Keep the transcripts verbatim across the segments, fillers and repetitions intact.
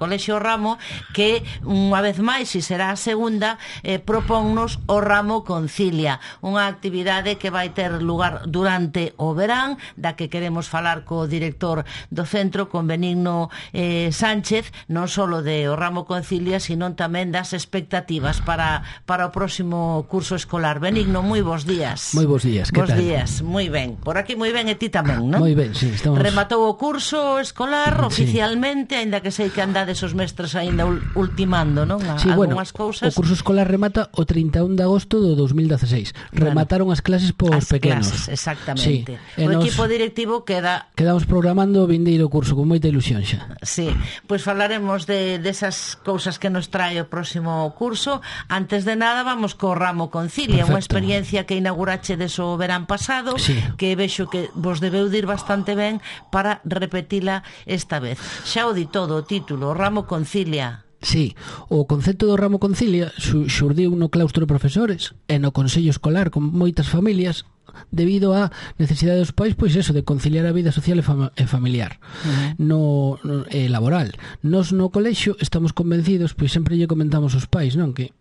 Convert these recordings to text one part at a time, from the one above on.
Colexio Ramo, que unha vez máis, e será a segunda, eh, propónnos o Ramo Concilia, unha actividade que vai ter lugar durante o verán, da que queremos falar co director do centro, con Benigno eh, Sánchez, non só de o Ramo Concilia, sino tamén das expectativas para, para o próximo curso escolar. Benigno, moi bons días. Moi bons días, que bons tal? Bos días, moi ben. Por aquí moi ben, e ti tamén, non? Moi ben, sí, estamos... Rematou o curso escolar sí. oficialmente, aínda que sei que andades os mestres aínda ultimando, non? A, sí, bueno, cousas. O curso escolar remata o trinta e un de agosto do dos mil dezaseis. Bueno, remataron as clases pos as pequenos. Clases, exactamente. Sí. O nos... equipo directivo queda... Quedamos programando o vindeiro curso con moita ilusión xa. Sí, pois pues falaremos de desas de cousas que nos trae o próximo curso. Antes de nada, vamos co Ramo Concilia, unha experiencia que inaugurache des o verán pasado, sí. que vexo que vos debeu dir bastante ben para repetila esta vez. Xa o di todo o título, o Ramo Concilia. Sí, o concepto do Ramo Concilia xurdiu no claustro de profesores e no consello escolar con moitas familias debido á necesidade dos pais, pois eso, de conciliar a vida social e, fam e familiar uh-huh. no, no eh, laboral. Nos no colexio estamos convencidos, pois sempre lle comentamos aos pais, non, que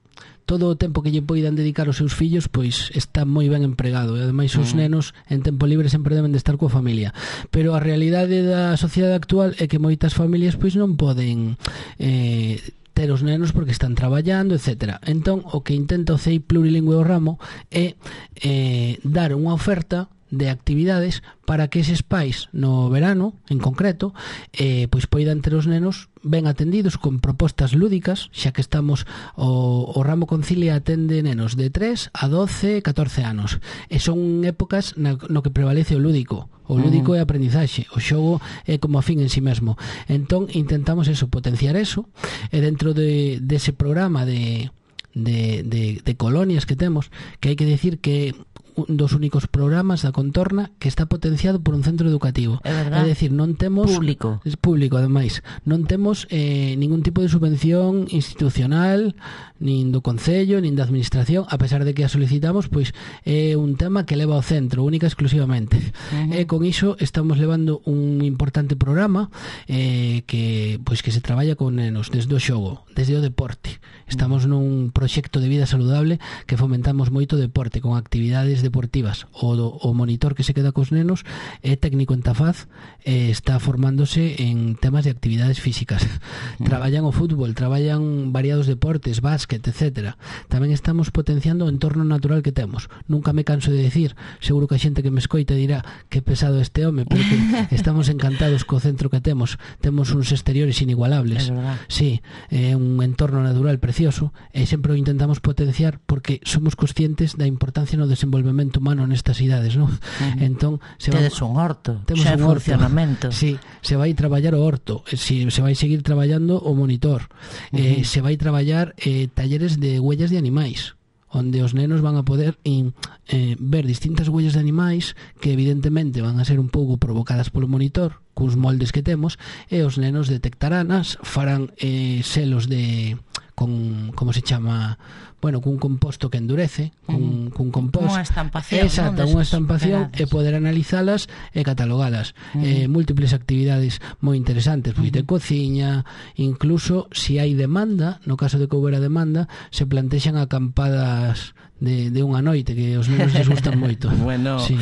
todo o tempo que lle poidan dedicar aos seus fillos pois está moi ben empregado, e ademais os mm. nenos en tempo libre sempre deben de estar coa familia, pero a realidade da sociedade actual é que moitas familias pois non poden eh, ter os nenos porque están traballando, etcétera. Entón, o que intenta o C E I Plurilingüe o Ramo é eh, dar unha oferta de actividades para que eses pais no verano, en concreto, eh, pois poidan ter os nenos ben atendidos con propostas lúdicas, xa que estamos o, o Ramo Concilia atende nenos de tres a doce, catorce anos, e son épocas na, no que prevalece o lúdico. O lúdico uh-huh. é aprendizaxe, o xogo é como a fin en si mesmo. Entón intentamos eso, potenciar eso, e dentro de dese programa de de, de, de colonias que temos, que hai que decir que un dos únicos programas da contorna que está potenciado por un centro educativo. É verdad. É dicir, non temos... Público. Es público, ademais. Non temos eh, ningún tipo de subvención institucional, nin do Concello, nin da Administración, a pesar de que a solicitamos, pois é un tema que leva ao centro, única e exclusivamente. Uh-huh. E con iso estamos levando un importante programa eh, que pois que se traballa con nenos desde o xogo, desde o deporte. Estamos uh-huh. nun proxecto de vida saludable que fomentamos moito deporte con actividades deportivas. O, o monitor que se queda cos nenos é técnico en Tafaz, eh, está formándose en temas de actividades físicas. Uh-huh. Traballan o fútbol, traballan variados deportes, básquet, etcétera. Tamén estamos potenciando o entorno natural que temos. Nunca me canso de decir, seguro que a xente que me escoita dirá que pesado este home, porque estamos encantados co centro que temos. Temos uns exteriores inigualables. Sí, é un entorno natural precioso e sempre o intentamos potenciar porque somos conscientes da importancia no desenvolvemento humano nestas idades, non? Uh-huh. Entón, se tedes va... un horto, temos xa un horto. Funcionamento. Sí, se vai traballar o horto, si, se vai seguir traballando o monitor, uh-huh. eh, se vai traballar eh, talleres de huellas de animais, onde os nenos van a poder in, eh, ver distintas huellas de animais que evidentemente van a ser un pouco provocadas polo monitor, cuns moldes que temos, e os nenos detectaranas, farán eh, selos de con, como se chama, bueno, cun composto que endurece, cun, cun compost, unha estampación, exacta, unha estampación, e poder analizalas e catalogalas. Uh-huh. eh, múltiples actividades moi interesantes, pois uh-huh. de cociña, incluso se si hai demanda, no caso de que houbera demanda, se plantexan acampadas de, de unha noite que os nenos les gustan moito. Bueno, sí.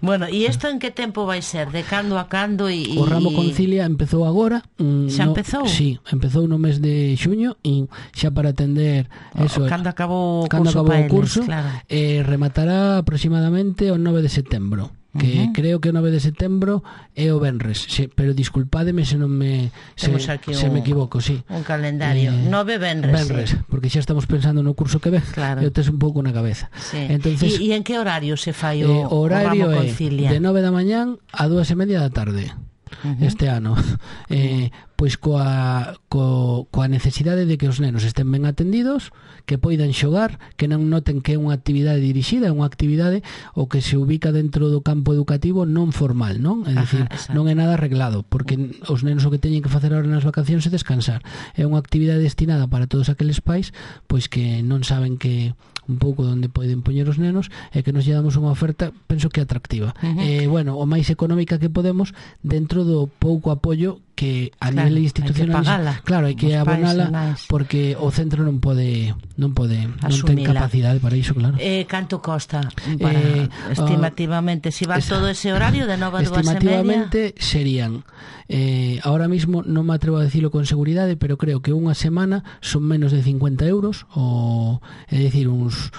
Bueno, e isto en que tempo vai ser? De cando a cando? E, o Ramo Concilia empezou agora. Xa no, empezou? Sí, empezou no mes de xuño e xa para atender eso, cando acabou o cando curso, acabou o curso claro. eh, rematará aproximadamente o nove de setembro, que uh-huh. creo que o nove de setembro é o venres, se, pero disculpádeme se non me se, se un, me equivoco, sí. Un calendario, eh, nove venres, venres sí. Porque xa estamos pensando no curso que ve, claro. E o tes un pouco na cabeza. Sí. Entonces, e, e en que horario se fai o, eh, o horario o Ramo Concilia? É de nove da mañán a dúas e media da tarde. Uh-huh. Este ano eh, pois coa, co, coa necesidade de que os nenos estén ben atendidos, que poidan xogar, que non noten que é unha actividade dirixida, é unha actividade o que se ubica dentro do campo educativo non formal, non? É dicir, Ajá, non é nada arreglado, porque os nenos o que teñen que facer ahora nas vacacións é descansar. É unha actividade destinada para todos aqueles pais pois que non saben que un pouco onde poden poñer os nenos e que nos lle damos unha oferta, penso que atractiva. Uh-huh. Eh, bueno, o máis económica que podemos dentro do pouco apoio que que a claro, nivel institucional, hai que pagala, claro, hai que abonala porque o centro non pode non pode non ten capacidade para iso, claro. Eh, canto costa para Eh, estimativamente, se si va esa, todo ese horario de nove a dúas e media? Estimativamente serían eh, ahora mismo non me atrevo a decirlo con seguridade, pero creo que unha semana son menos de cincuenta euros, o é dicir, uns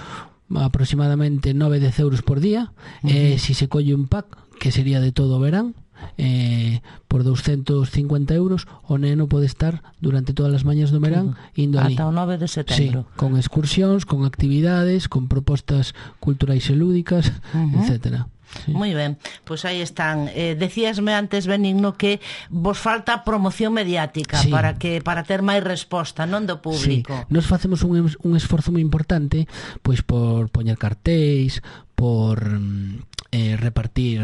aproximadamente nove a dez euros por día. Uh -huh. eh, si se colle un pack que sería de todo o verán, eh, por douscentos cincuenta euros o neno pode estar durante todas as mañas do verán uh-huh. indo ali ata o nove de setembro, sí, con excursións, con actividades, con propostas culturais e lúdicas, uh-huh. etcétera. Sí. Moi ben, pois pues aí están. Eh, decíasme antes, Benigno, que vos falta promoción mediática, sí, para que para ter máis resposta, non do público. Sí. Nos facemos un, un esforzo moi importante, pois por poñer cartéis, por eh, repartir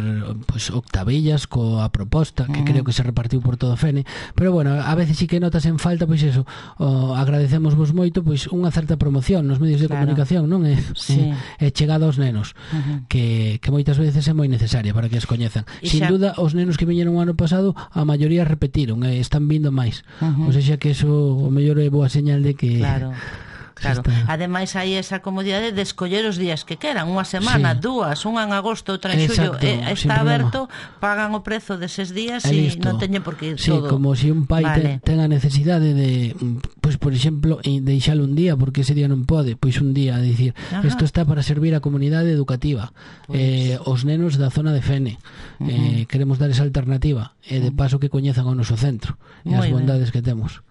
pues, octavillas coa proposta que mm. creo que se repartiu por todo o Fene, pero bueno, a veces sí que notas en falta, pois eso, oh, agradecemos vos moito pois unha certa promoción nos medios de claro. comunicación, non é, sí. é, é chegada aos nenos, uh-huh. que, que moitas veces é moi necesaria para que as coñezan. E sin xa... duda, os nenos que viñeron o ano pasado, a maioría repetiron, e están vindo máis, uh-huh. ou seja que eso o mellor é boa señal de que claro. Claro, ademais hai esa comodidade de escoller os días que queran, unha semana, sí. dúas, unha en agosto, outra en xullo, e está aberto, pagan o prezo deses días e non teñen por que ir sí, todo. Sí, como se si un pai vale. ten, ten a necesidade de, pois pues, por exemplo, deixalo un día, porque ese día non pode, pois un día, a dicir, isto está para servir a comunidade educativa, pues... eh, os nenos da zona de Fene, uh -huh. eh, queremos dar esa alternativa, e de paso que coñezan o noso centro, e as bondades que temos.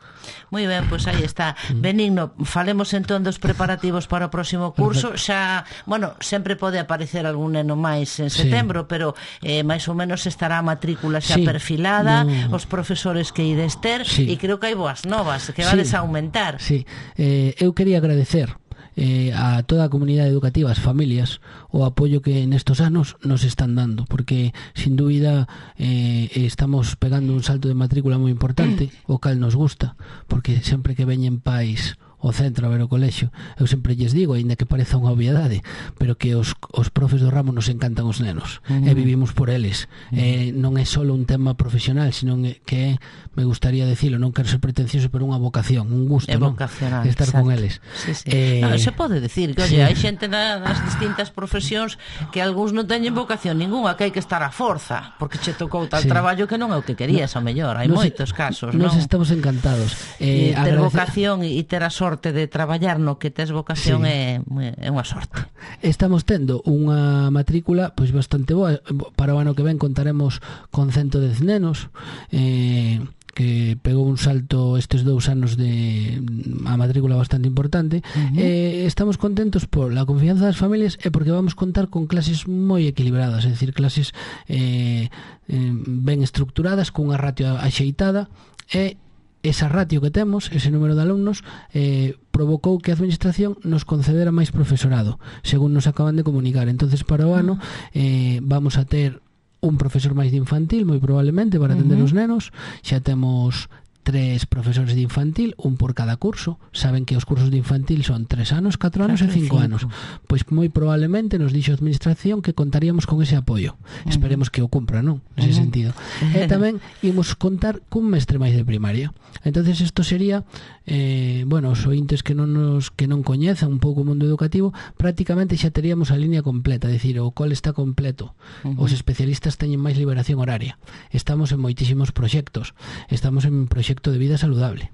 Moi ben, pois aí está. Benigno, falemos entón dos preparativos para o próximo curso. Xa, bueno, sempre pode aparecer algún neno máis en setembro, sí. pero eh, máis ou menos estará a matrícula xa sí. perfilada, no. os profesores que ides ter, sí. e creo que hai boas novas, que vades sí. a aumentar. Sí, eh, eu quería agradecer Eh, a toda a comunidade educativa, as familias, o apoio que nestos anos nos están dando, porque sin dúbida eh, estamos pegando un salto de matrícula moi importante, o cal nos gusta, porque sempre que veñen pais o centro a ver o colexio, eu sempre lles digo, aínda que pareza unha obviedade, pero que os, os profes do ramo nos encantan os nenos, uh -huh. e vivimos por eles. Uh -huh. eh, non é só un tema profesional, sino que é, me gustaría decirlo, non quero ser pretencioso, pero unha vocación, un gusto, non? Estar exacto. con eles. Sí, sí. Eh, no, se pode decir que, oye, sí. hai xente nas distintas profesións que algúns non teñen vocación ninguna, que hai que estar a forza, porque che tocou tal sí. traballo que non é o que querías, no, ao mellor. Hai nos, moitos casos, non? Nos estamos encantados. Eh, ter agradecer... vocación e ter a sorte de traballar no que tes vocación sí. é, é unha sorte. Estamos tendo unha matrícula pois bastante boa. Para o ano que ven contaremos con ciento dez nenos, eh, que pegou un salto estes dous anos de a matrícula bastante importante. Uh -huh. eh, estamos contentos por la confianza das familias e porque vamos contar con clases moi equilibradas, é dicir, clases eh, eh, ben estructuradas, con unha ratio axeitada, e esa ratio que temos, ese número de alumnos, eh, provocou que a administración nos concedera máis profesorado, según nos acaban de comunicar. Entonces, para o ano eh, vamos a ter un profesor máis de infantil, moi probablemente, para atender uh -huh. os nenos. Xa temos tres profesores de infantil, un por cada curso. Saben que os cursos de infantil son tres anos, catro anos e cinco anos. Pois moi probablemente nos dixo a administración que contaríamos con ese apoio. Uh -huh. Esperemos que o cumpra, non? Nese uh -huh. sentido. E tamén imos contar cun mestre máis de primaria. Entonces isto sería eh, bueno, os ointes que non nos que non coñezan un pouco o mundo educativo, prácticamente xa teríamos a línea completa, é dicir, o cole está completo. Uh -huh. Os especialistas teñen máis liberación horaria. Estamos en moitísimos proxectos. Estamos en proxecto de vida saludable.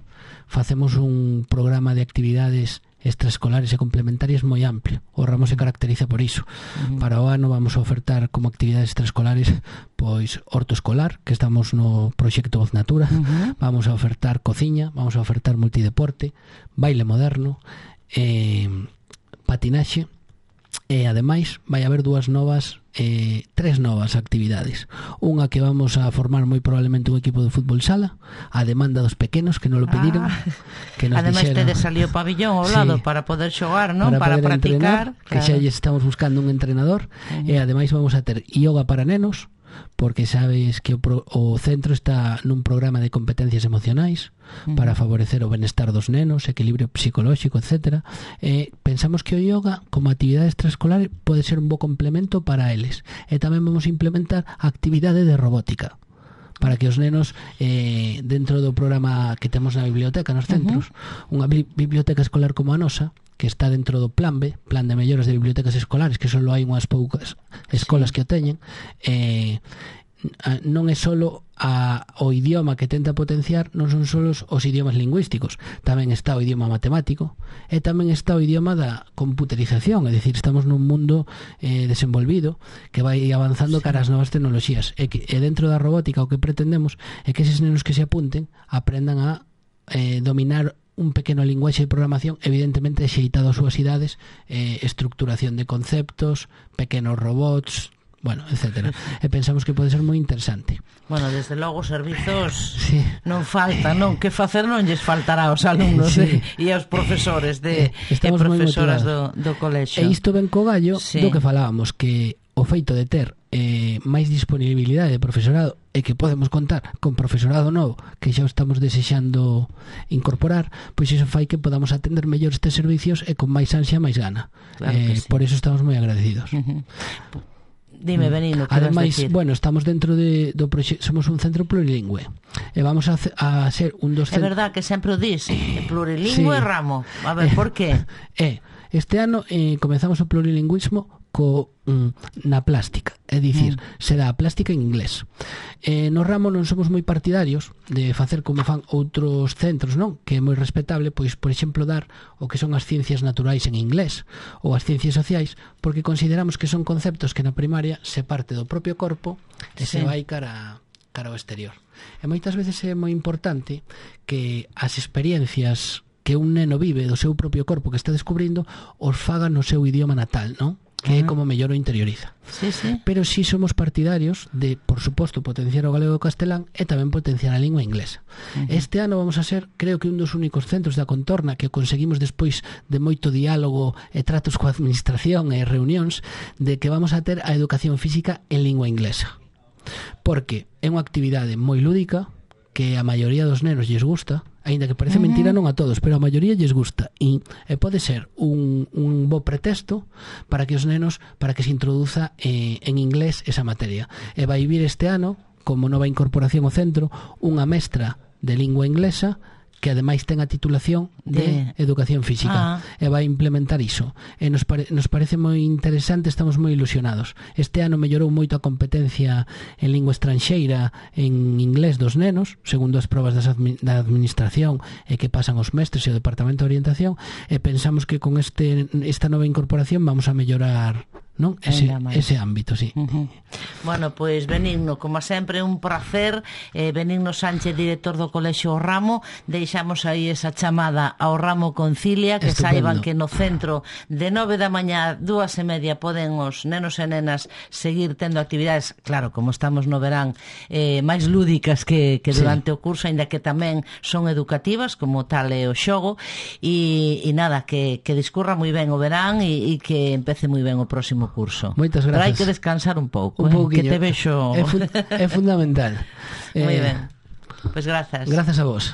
Facemos un programa de actividades extraescolares e complementarias moi amplio. O ramo se caracteriza por iso. Uh -huh. Para o ano vamos a ofertar como actividades extraescolares pois horto escolar, que estamos no proxecto Voz Natura. Uh -huh. Vamos a ofertar cociña, vamos a ofertar multideporte, baile moderno, eh, patinaxe, e ademais vai haber dúas novas eh, tres novas actividades. Unha que vamos a formar moi probablemente un equipo de fútbol sala, a demanda dos pequenos que non lo pediron, ah, que nos ademais dixeron, tedes ali o pabillón ao lado, sí, para poder xogar, non? Para, para practicar, entrenar, que claro, xa estamos buscando un entrenador. Uh -huh. E ademais vamos a ter yoga para nenos, porque sabes que o, pro, o centro está nun programa de competencias emocionais uh -huh. para favorecer o benestar dos nenos, equilibrio psicolóxico, etcétera. E pensamos que o yoga como actividade extraescolar pode ser un bo complemento para eles. E tamén vamos a implementar a actividade de robótica, para que os nenos eh, dentro do programa que temos na biblioteca nos centros, uh-huh. unha bi- biblioteca escolar como a nosa, que está dentro do Plan B, Plan de Melloras de Bibliotecas Escolares, que só hai unhas poucas escolas sí. que o teñen, eh, non é solo a, o idioma que tenta potenciar, non son só os, os idiomas lingüísticos, tamén está o idioma matemático e tamén está o idioma da computerización, é dicir, estamos nun mundo eh, desenvolvido que vai avanzando sí. cara ás novas tecnoloxías e, que, e dentro da robótica o que pretendemos é que eses nenos que se apunten aprendan a eh, dominar un pequeno linguaxe de programación evidentemente xeitado ás súas idades, eh, estructuración de conceptos, pequenos robots, bueno, etcétera. E pensamos que pode ser moi interesante. Bueno, desde logo servizos sí. non falta, non? Que facer non lles faltará aos alumnos sí. de, e aos profesores de, e profesoras do, do colexio. E isto ben co gallo sí. do que falábamos, que o feito de ter eh, máis disponibilidade de profesorado e que podemos contar con profesorado novo que xa estamos desexando incorporar, pois iso fai que podamos atender mellor estes servicios e con máis ansia, máis gana. Claro eh, sí. Por iso estamos moi agradecidos. Uh-huh. Dime, Benino, que ademais, bueno, estamos dentro de, do proxecto, somos un centro plurilingüe e vamos a, a ser un dos centros... É verdad que sempre o dis, plurilingüe sí. Ramo. A ver, por qué? Eh, este ano eh, comezamos o plurilingüismo co, mm, na plástica, é dicir, mm. se dá a plástica en inglés. Eh, no ramo non somos moi partidarios de facer como fan outros centros, non? Que é moi respetable, pois, por exemplo, dar o que son as ciencias naturais en inglés ou as ciencias sociais, porque consideramos que son conceptos que na primaria se parte do propio corpo e sí. se vai cara, cara ao exterior. E moitas veces é moi importante que as experiencias que un neno vive do seu propio corpo que está descubrindo os faga no seu idioma natal, non? Que é como mellor o interioriza. Sí, sí. Pero si sí somos partidarios de, por suposto, potenciar o galego e o castelán e tamén potenciar a lingua inglesa. Uh-huh. Este ano vamos a ser, creo que un dos únicos centros da contorna que conseguimos despois de moito diálogo e tratos coa administración e reunións de que vamos a ter a educación física en lingua inglesa. Porque é unha actividade moi lúdica que a maioría dos nenos lles gusta, aínda que parece uh-huh. mentira non a todos, pero a maioría lles gusta e, e pode ser un, un bo pretexto para que os nenos, para que se introduza eh, en inglés esa materia. E vai vir este ano, como nova incorporación ao centro, unha mestra de lingua inglesa que ademais ten a titulación de, de educación física ah. e vai implementar iso e nos, pare, nos parece moi interesante, estamos moi ilusionados. Este ano mellorou moito a competencia en lingua estranxeira en inglés dos nenos, segundo as probas das admi, da administración e que pasan os mestres e o departamento de orientación, e pensamos que con este esta nova incorporación vamos a mellorar, non? Ese, ese ámbito, sí. Uh-huh. Bueno, pois pues, Benigno, como sempre un placer, eh, Benigno Sánchez, director do Colexio O Ramo. Deixamos aí esa chamada ao Ramo Concilia, que estupendo. Saiban que no centro de nove da mañá, dúas e media poden os nenos e nenas seguir tendo actividades, claro, como estamos no verán, eh, máis lúdicas que, que durante sí. o curso, ainda que tamén son educativas, como tal é o xogo, e, e nada, que, que discurra moi ben o verán e, e que empece moi ben o próximo curso. Moitas gracias. Pero hai que descansar un pouco, un eh? Que te vexo. É, fu- é fundamental. Moi eh, ben. Pois pues grazas. Grazas a vos.